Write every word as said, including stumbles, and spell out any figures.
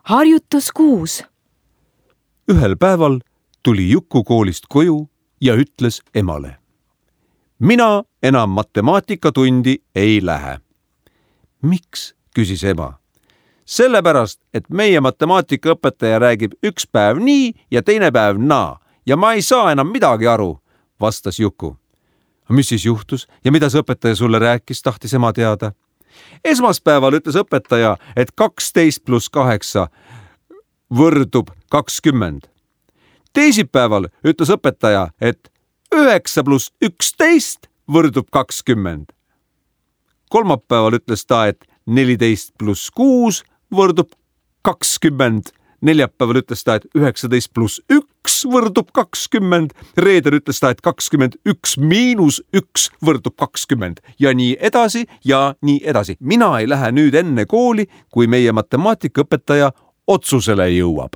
harjutus kuus. Ühel päeval tuli Juku koolist koju ja ütles emale: mina enam matemaatikatundi ei lähe. Miks, küsis ema. Sellepärast, et meie matemaatikaõpetaja räägib üks päev nii ja teine päev naa ja ma ei saa enam midagi aru, vastas Juku. Mis siis juhtus ja mida see õpetaja sulle rääkis, tahtis ema teada. Esmaspäeval ütles õpetaja, et kaksteist pluss kaheksa võrdub kakskümmend. Teisipäeval ütles õpetaja, et üheksa pluss üksteist võrdub kakskümmend. Kolmapäeval ütles ta, et neliteist pluss kuus võrdub kakskümmend. Neljapäeval ütles ta, et üheksateist pluss üks võrdub kakskümmend. Reedel ütles ta, et kakskümmend üks miinus üks võrdub kakskümmend. Ja nii edasi ja nii edasi. Mina ei lähe nüüd enne kooli, kui meie matemaatikaõpetaja otsusele jõuab.